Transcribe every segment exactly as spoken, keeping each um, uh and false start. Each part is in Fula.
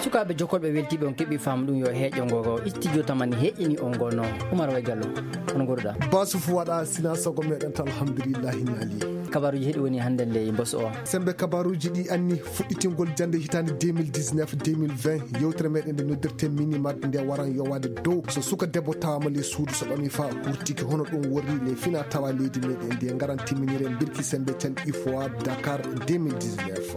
Sukaaɓe jokkolɓe weltiiɓe on keɓi faamu ɗum yo heeƴo ngo studio tamani heeƴini on ngono. Umar Way Jallo, on goruɗa? Basu fu waɗa sina sago meɗen ta alhamdulillahi nali. Kabaruji heɗi woni hannde nde e mbos o. Sembe kabaruji ɗi anni fuɗɗitingol jannde hitaande deux mille dix-neuf deux mille vingt, yewtere meɗen nde noddirte mini mag nde waran yowade dow so suka debbo tawama le suudu so ɓami fa hurtiki hono ɗum worri le fina tawa leydi meɗen nde ngaran timminire mbirki sembe can ifoa Dakar deux mille dix-neuf.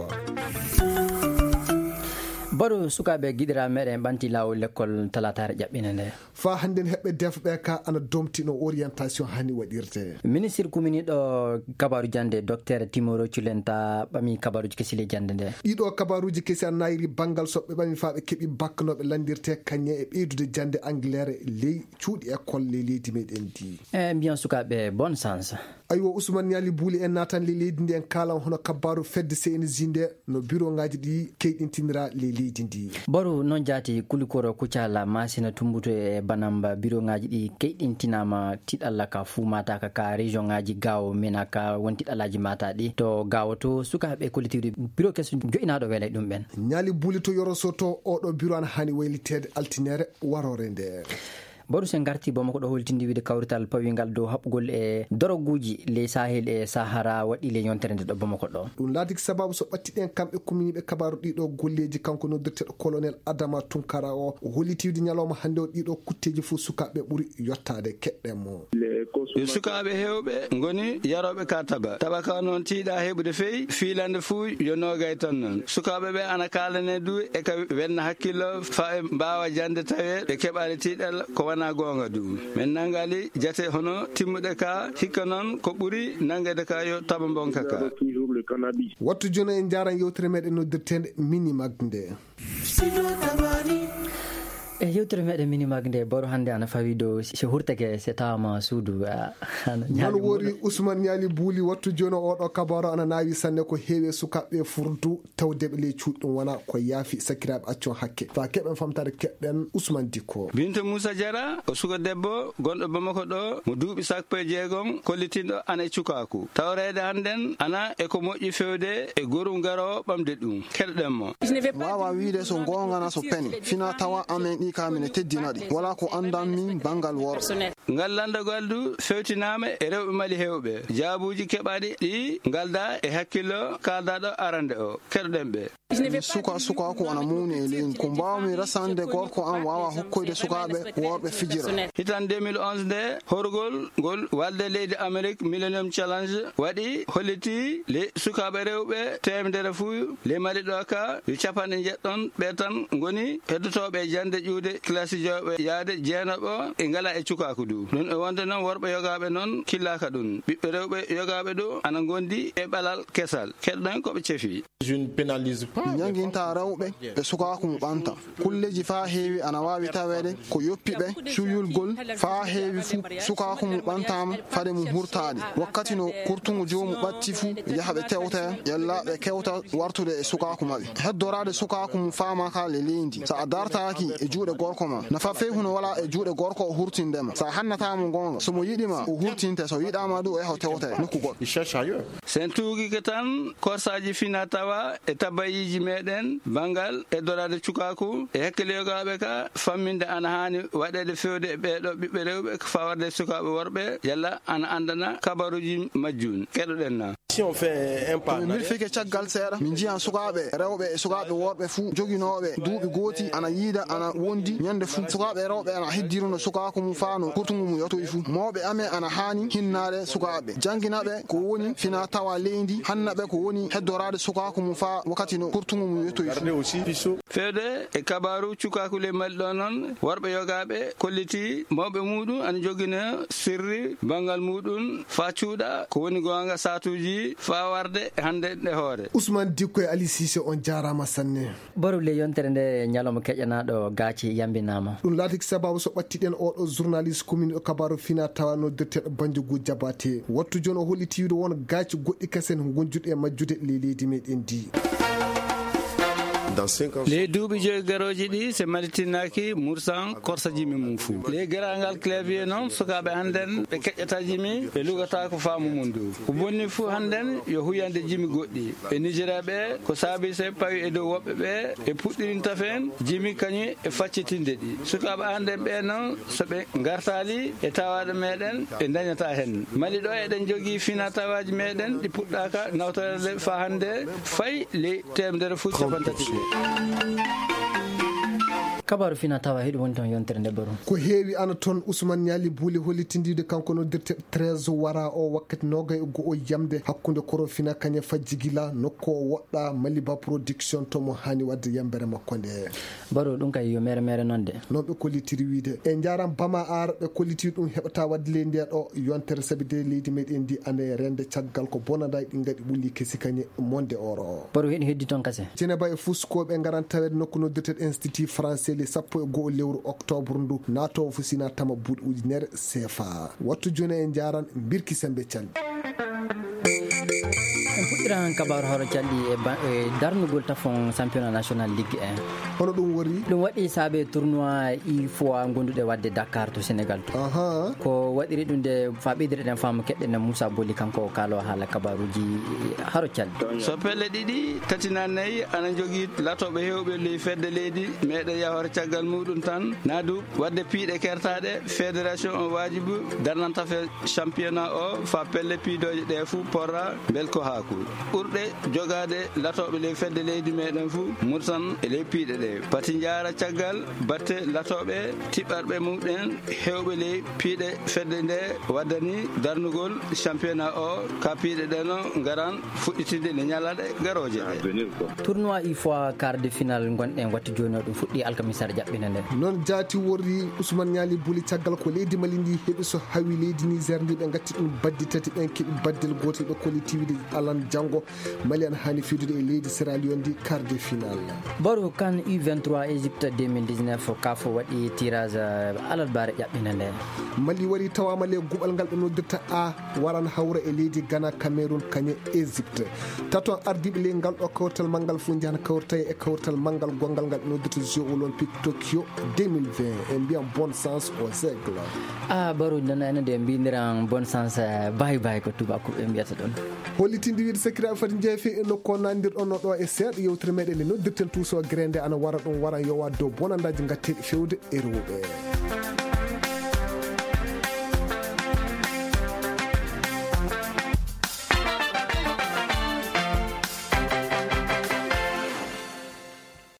Baru sukaaɓe giɗira meɗen ɓanti laawol lekkol talataare ƴaɓɓine nde. Fa hannden heɓɓe defɓe ka ana domtino orientation hani waɗirte. Ministir kuminiɗo kabaru jande Docteur Timoro Culenta ɓami kabaruji kesi le jande nde. Ɗiɗo kabaruji kesi a nayri bangal soɓɓe ɓami fa ɓe keɓi baknoɓe landirte kañe e ɓeydude jande Angleterre ley cuuɗi école ley leydi meɗen ndi. E mbiyan sukaaɓe bonne chance. Aywa, Ousmane Niali Bouli en naatan le leydi ndi en kaalan hono kabaru fedde C N J nde no biro ngaji ɗi keyɗintinira le leydi ndi. Boru noon jaati kulikoro kucala masina tumbuto e banamba biro ngaji ɗi keyɗintinama tiɗalla ka fu mata ka ka région ngaji gawo mena ka won tiɗallaji mata ɗi to gawo to sukaɓe kollitiwde biro keso joɗinaɗo welay ɗum ɓen. Niali Bouli to Yoro Soto oɗo biro an hani waylitede altinere warore nde. Boru sen garti bomo ko ɗo holtindi wiide kawrital pawingal dow haɓɓugol e doroguji ley Sahel e Sahara waɗi le yontere nde ɗo bomo ko ɗo. Ɗum laatiki sababu so ɓattiɗen kamɓe kuminiɓe kabaru ɗiɗo golleji kanko noddirteɗo colonel Adama Tunkara o, o holliti wiide ñalawma hannde o ɗiɗo kutteji fof sukaɓe ɓuri yottade keɗɗen mo. Yo sukaaɓe heewɓe ngoni yarooɓe ka taba. Taba ka noon tiiɗa heɓude fey, fiilande fuu yo noogay tan noon. Sukaaɓe ɓe ana kaalane du e ka welna hakkillo faa ɓe mbaawa jande tawe ɓe keɓaali tiiɗal ko wanaa goonga du. Men nanngali jate hono timmuɗe ka hikka noon ko ɓuri nanngede ka yo taba mbonka ka. Wattu jooni en njaaran yewtere meɗen noddirteende Mini Mag nde. E yewtere meɗen Mini Mag nde, boro hannde ana fawi dow si hurteke se tawama suudu, a, ana non ñaami wori muɗum. Ousmane Niali Bouli wattu jooni oɗo kabaro ana naawi sanne ko heewi e sukaaɓe furdu tawdeɓe ley cuuɗi ɗum wona ko yaafi sakiraaɓe accon hakke. Fa keɓen famtare keɗɗen Ousmane Dikko. Binta Moussa Diarra, o suka debbo gonɗo Bamako ɗo mo duuɓi sappo e jeegom kollitinɗo ana e cukaaku. Tawreede hannden ana e ko moƴƴi fewde e gorum garoowo ɓamde ɗum. Keɗoɗen mo. Wawa wiide so goonga na so pene. Fina tawa amen ɗi ka mine teddina ɗi. Wala ko andan min bangal worɓe. Ngal lanndagol du fewtinaama e rewɓe Mali heewɓe. Jaabuuji keɓaaɗi ɗi ngalda e hakkillo kaaldaɗo arande o. Keɗoɗen ɓe. Suka, suka ko ana mawni e leydi. Ko mbawmi resande gorko am wawa hokkoyde sukaaɓe worɓe fijira. Hitan deux mille onze nde horgol ngol walde leydi Amerik Millennium Challenge waɗi holliti le sukaaɓe rewɓe teemedere fuu le Mali ɗo ka yo capanɗe njeɗɗon ɓe tan ngoni heddotooɓe e jande ƴuude kilasi jooɓe yaade jeenaɓo e ngala e cukaaku du. Ɗum e wonde noon worɓe yogaaɓe noon killaaka ɗum. Ɓiɓɓe rewɓe yogaaɓe ɗo ana ngondi e ɓalal kesal. Keɗɗen ko ɓe cefi. Mi ñanginta rewɓe e sukaaku mo ɓanta. Kulleji faa heewi ana waawi taweede ko yoppi ɓe, cuuyulgol faa heewi fuu sukaaku mo ɓantaama fade mum hurtaade. Wakkati no kurtungu joomu ɓatti fuu yaha ɓe tewta, yalla ɓe kewta wartude e sukaaku maɓɓe. Heddoraade sukaaku mo faama ka le leydi. So a dartaaki e juuɗe gorko ma, nafa fey huno wala e juuɗe gorko o hurtinde ma. So a hannataa mo goonga, so mo yiɗi ma, o hurtinte, so yiɗaa ma du o yaha o tewta e nokku goɗɗo. Sen tuugike tan korsaaji fina tawa e tabayiiji meɗen banngal e doraade cukaaku e hakkille yogaaɓe ka famminde ana haani waɗeede fewde e ɓeeɗo ɓiɓɓe rewɓe ko fawarde sukaaɓe worɓe yalla ana anndana kabaruuji majjun. Keɗoɗen na. Si on fait un pas en arrière. Min fike caggal seeɗa, min njiyan sukaaɓe rewɓe e sukaaɓe worɓe fuu joginooɓe duuɓi gooti ana yiida ana wondi ñande fuu. Sukaaɓe rewɓe ana heddiruno sukaaku mum faa no kurtungu mum yottoyi fuu. Mawɓe amen ana haani hinnaade sukaaɓe, janngina ɓe ko woni fina tawa leydi, hanna ɓe ko woni heddoraade sukaaku mum faa wakkati no kurtungu mum yottoyi fuu. Fewde e kabaaru cukaaku ley Mali ɗo noon, worɓe yogaaɓe kolliti mawɓe muuɗum ana jogina sirri banngal muuɗum faa cuuɗa ko woni goonga saatuuji faa warde hannde nde hoore. Ousmane Dikko e Ali Cissé, on jaaraama sanne. Boru le yontere nde ñalawma keƴanaaɗo gaaci yambinaama. Ɗum laatiki sababu so ɓattiɗen oɗo journaliste commune o kabaaru fina tawa noddirteeɗo Banjugu Jabate. Wattu jooni o holliti wiide won gaaci goɗɗi kasen wonjuɗi e majjude ley leydi meɗen ndi. Ley duuɓi joyi garooji ɗi, so malitinnaaki, Mursan korsa jimi mum fuu. Ley geraangal clavier noon, sukaaɓe hannden ɓe keƴƴata jimi, ɓe lugata ko faamu mum dow. Ko bonni fuu hannden yo huyande jimi goɗɗi. E Nigeria ɓe, ko saabi so ɓe pawi e dow woɓɓe ɓe, ɓe puɗɗirinta feen jimi kañum e faccitinde ɗi. Sukaaɓe hannden ɓe noon, so ɓe ngartaali e tawaaɗo meeɗen, ɓe ndañata heen. Mali ɗo eɗen njogii fina tawaaji meeɗen ɗi puɗɗaaka nawtoreede faa hannde, fay ley teemedere fuu capantati ɗi. Kabaaru fina tawa hiɗo woni toon yontere nde baru. Ko heewi ana toon Ousmane Ñaali Buuli hollitindiide kanko noddirte treize wara o wakkati noogay e go'o yamde hakkunde Korofina kañe fajjigila nokku o woɗɗa Maliba Production to mo haani waɗde yambere makko nde. Baro ɗum kay yo mere mere noon de. Noon ɓe kollitiri wiide. E njaram bama ar ɓe kollitiri ɗum heɓata waɗde ley nde ɗo yontere sabi de leydi meɗen ndi ane rende caggal ko bonada ɗi ngaɗi ɓulli kesi kañe monde oro. Baro heɗi heddi toon kase. Ceneba e fuskooɓe ngaran tawede nokku noddirteɗo Institut Français le sappo e go'o lewru octobre ndu naatowo fusina tama buuɗi ujunere sefa. Wattu jooni en njaran Birki Sembe Calli. En puɗɗiran kabaaru haro calɗi e ba-, e darnugol tafon championnat national Ligue un. Hono ɗum woni? Ɗum waɗi saabe tournoi il fois gonduɗe wadde Dakar to Sénégal to. Aha. Ko waɗiri ɗum de fa ɓeydiri ɗen faamu keɗɗen Moussa Boli kanko o kaalo haala kabaaruji haro calɗi. So pelle ɗiɗi, tati na nayi ana jogii latooɓe heewɓe ley fedde leydi meɗen yahore caggal muɗum tan. Naadu wadde piiɗe kertaaɗe, fédération on waajibu darnanta fe championnat o fa pelle piidooje ɗe fuu porra mbel ko haaku. Ɓurɗe jogaade latooɓe ley fedde leydi meɗen fuu murtan e ley piiɗe ɗe. Pati njaara caggal batte latooɓe tiɓɓarɓe muɗen heewɓe ley piiɗe fedde nde waddani darnugol championnat o ka piiɗe ɗe no ngaran fuɗɗitinde nde ñalaɗe garooje ɗe. Tournoi il fois quart de finale gonɗen wattu jooni o ɗum fuɗɗi alkamisar jaɓɓina nde. Noon jaati worri Ousmane Ñaali Buli caggal ko leydi Mali ndi heɓi so hawi leydi Niger ndi ɓe ngatti ɗum baddi tati ɓen keɓi baddel gootel ɓe kolli tiwide alan janngo Mali ana haani fiidude e leydi Sierra Leone ndi quart de finale. Baro kan U vingt-trois Égypte deux mille dix-neuf kaf waɗi tirage alarbaare ƴaɓɓina nde. Mali wari tawama le guɓal ngal ɓe noddirta A waran hawra e leydi Ghana, Cameroun, kañe Égypte. Taton ardiiɓe ley ngal ɗo kawtal manngal fof njahan kawrtay e kawtal manngal gonngal ngal noddirta Jeux Olympiques Tokyo deux mille vingt. En mbiyan bonne chance aux aigles. Ah, Baro, nana ene de mbindiran bonne chance, eh, bye bye ko tubakuɓe mbiyata ɗon. Hollitinde wiide sakiraaɓe fati jeefe e nokku o nandirɗon no ɗo e seeɗa yewtere meɗen nde noddirten tuuso grende ana wara ɗum wara yowa dow bonandaji ngatteɗi fewde e rewɓe.